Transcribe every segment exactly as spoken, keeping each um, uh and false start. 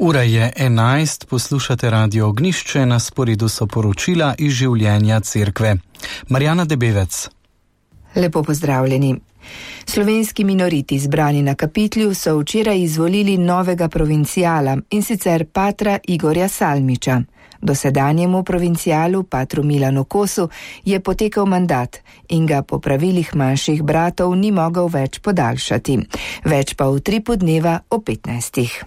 Ura je enajst, poslušate Radio Ognjišče, na sporedu so poročila iz življenja cerkve. Marjana Debevec. Lepo pozdravljeni. Slovenski minoriti zbrani na Kapitlju so včeraj izvolili novega provincijala, in sicer patra Igorja Salmiča. Dosedanjemu provincijalu, patru Milanu Kosu, je potekel mandat in ga po pravilih manjših bratov ni mogel več podaljšati. Več pa v tripu dneva o petnajstih.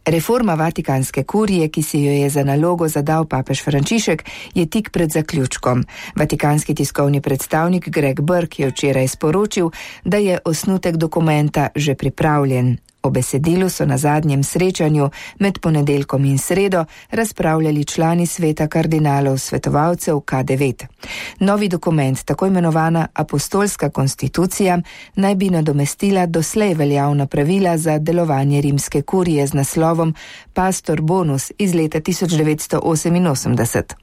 Reforma Vatikanske kurije, ki si jo je za nalogo zadal papež Frančišek, je tik pred zaključkom. Vatikanski tiskovni predstavnik Greg Burke je včeraj sporočil, da je osnutek dokumenta že pripravljen. O besedilu so na zadnjem srečanju med ponedeljkom in sredo razpravljali člani sveta kardinalov svetovalcev K devet. Novi dokument, tako imenovana apostolska konstitucija, naj bi nadomestila doslej veljavna pravila za delovanje rimske kurije z naslovom Pastor Bonus iz leta tisoč devetsto oseminosemdeset.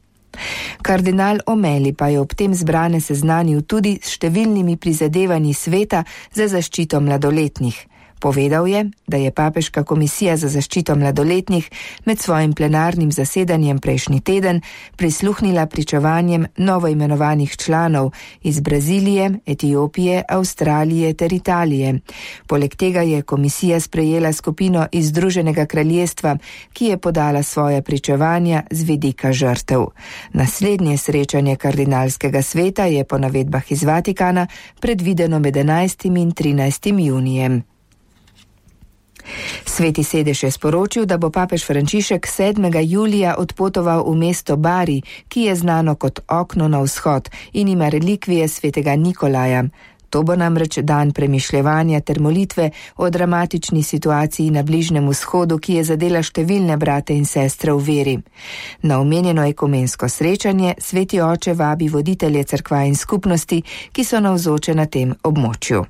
Kardinal Omeli pa je ob tem zbrane seznanil tudi s številnimi prizadevanji sveta za zaščito mladoletnih. Povedal je, da je Papeška komisija za zaščito mladoletnih med svojim plenarnim zasedanjem prejšnji teden prisluhnila pričevanjem novoimenovanih članov iz Brazilije, Etiopije, Avstralije ter Italije. Poleg tega je komisija sprejela skupino iz Združenega kraljestva, ki je podala svoja pričevanja z vidika žrtev. Naslednje srečanje kardinalskega sveta je po navedbah iz Vatikana predvideno med enajstim in trinajstim junijem. Sveti sedež je sporočil, da bo papež Frančišek sedmega julija odpotoval v mesto Bari, ki je znano kot okno na vzhod in ima relikvije svetega Nikolaja. To bo namreč dan premišljevanja ter molitve o dramatični situaciji na Bližnjem vzhodu, ki je zadela številne brate in sestre v veri. Na omenjeno ekumensko srečanje sveti oče vabi voditelje cerkva in skupnosti, ki so navzoče na tem območju.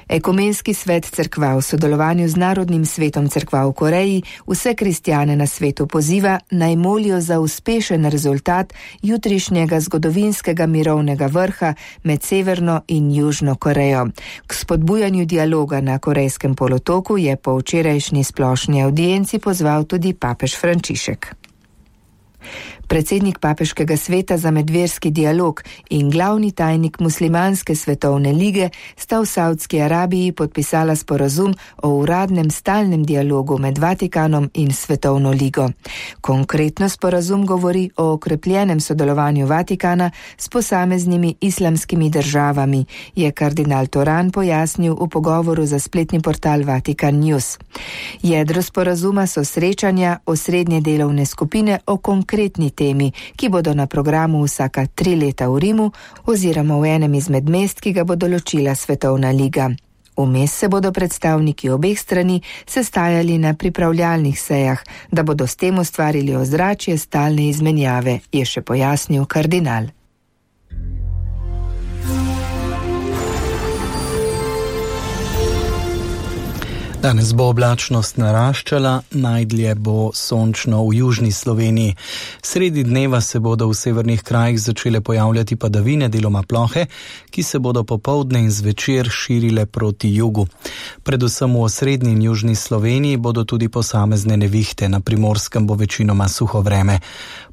Ekumenski svet cerkva v sodelovanju z Narodnim svetom cerkva v Koreji vse kristjane na svetu poziva, naj molijo za uspešen rezultat jutrišnjega zgodovinskega mirovnega vrha med Severno in Južno Korejo. K spodbujanju dialoga na Korejskem polotoku je po včerajšnji splošni avdienci pozval tudi papež Frančišek. Predsednik Papeškega sveta za medverski dialog in glavni tajnik Muslimanske svetovne lige sta v Saudski Arabiji podpisala sporazum o uradnem stalnem dialogu med Vatikanom in Svetovno ligo. Konkretno sporazum govori o okrepljenem sodelovanju Vatikana s posameznimi islamskimi državami, je kardinal Toran pojasnil v pogovoru za spletni portal Vatikan News. Jedro sporazuma so srečanja osrednje delovne skupine o konkretni temi, ki bodo na programu vsaka tri leta v Rimu oziroma v enem izmed mest, ki ga bo določila Svetovna liga. Vmes se bodo predstavniki obeh strani sestajali na pripravljalnih sejah, da bodo s tem ustvarili ozračje stalne izmenjave, je še pojasnil kardinal. Danes bo oblačnost naraščala, najdlje bo sončno v južni Sloveniji. Sredi dneva se bodo v severnih krajih začele pojavljati padavine, deloma plohe, ki se bodo popoldne in zvečer širile proti jugu. Predvsem v osrednji in južni Sloveniji bodo tudi posamezne nevihte, na Primorskem bo večinoma suho vreme.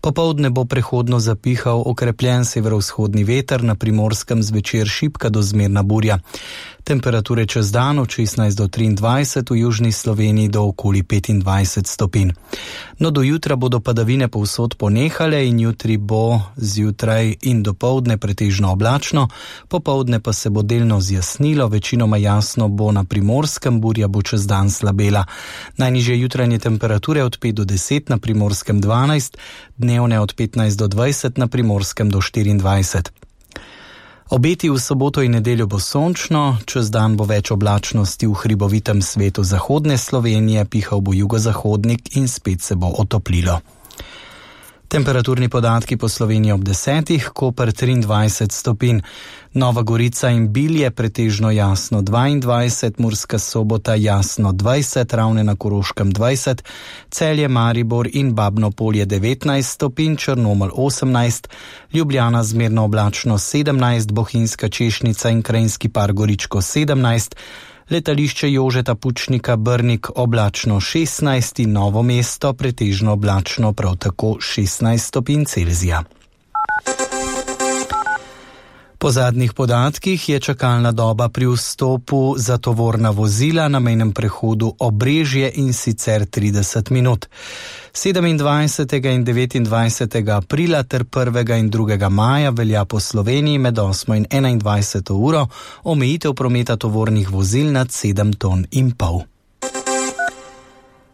Popoldne bo prehodno zapihal okrepljen severovzhodni veter, na Primorskem zvečer šibka do zmerna burja. Temperature čez dan od šestnajst do triindvajset, v južni Sloveniji do okoli petindvajset stopinj. No, do jutra bodo padavine povsod ponehale in jutri bo zjutraj in dopoldne pretežno oblačno, popoldne pa se bo delno zjasnilo, večinoma jasno bo na Primorskem, burja bo čez dan slabela. Najnižje jutranje temperature od pet do deset, na Primorskem dvanajst, dnevne od petnajst do dvajset, na Primorskem do štiriindvajset. Obeti v soboto in nedeljo bo sončno, čez dan bo več oblačnosti v hribovitem svetu zahodne Slovenije, pihal bo jugozahodnik in spet se bo otoplilo. Temperaturni podatki po Sloveniji ob desetih, Koper triindvajset stopinj, Nova Gorica in Bilje pretežno jasno dvaindvajset, Murska Sobota jasno dvajset, Ravne na Koroškem dvajset, Celje, Maribor in Babno Polje devetnajst stopinj, Črnomelj osemnajst, Ljubljana zmerno oblačno sedemnajst, Bohinjska Češnica in Krajinski Par Goričko sedemnajst, Letališče Jožeta Pučnika Brnik oblačno šestnajst, Novo mesto pretežno oblačno prav tako šestnajst stopinj Celzija. Po zadnjih podatkih je čakalna doba pri vstopu za tovorna vozila na mejnem prehodu Obrežje in sicer trideset minut. sedemindvajsetega in devetindvajsetega aprila ter prvega in drugega maja velja po Sloveniji med osmo in enaindvajseto uro omejitev prometa tovornih vozil nad sedem ton in pol.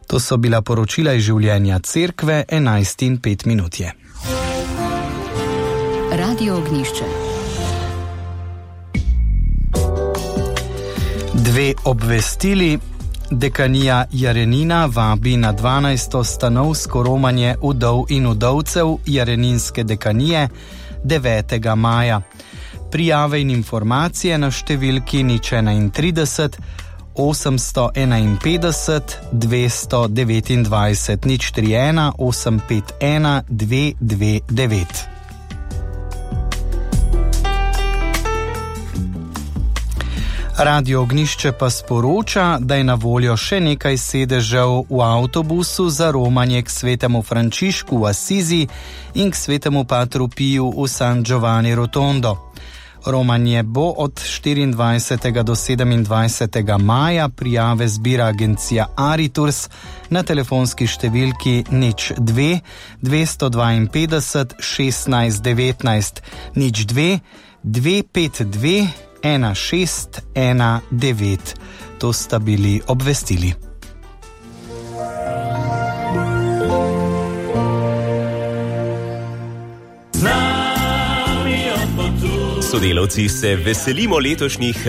To so bila poročila iz življenja cerkve, enajst in pet minut je. Radio Ognjišče. Dve obvestili. Dekanija Jarenina vabi na dvanajsto stanovsko romanje vdov in vdovcev Jareninske dekanije devetega maja. Prijave in informacije na številki nič enaintrideset osemsto enainpetdeset dvesto devetindvajset nič tri ena osem pet ena dve dve devet. Radio Ognjišče pa sporoča, da je na voljo še nekaj sedežev v avtobusu za romanje k svetemu Frančišku v Asizi in k svetemu Patru Piju v San Giovanni Rotondo. Romanje bo od štiriindvajsetega do sedemindvajsetega maja, prijave zbira agencija Ariturs na telefonski številki nič dve dvesto dvainpetdeset šestnajst devetnajst nič dve dve pet dve ena šest ena devet. To sta bili obvestili. Sodelavci se veselimo letošnjih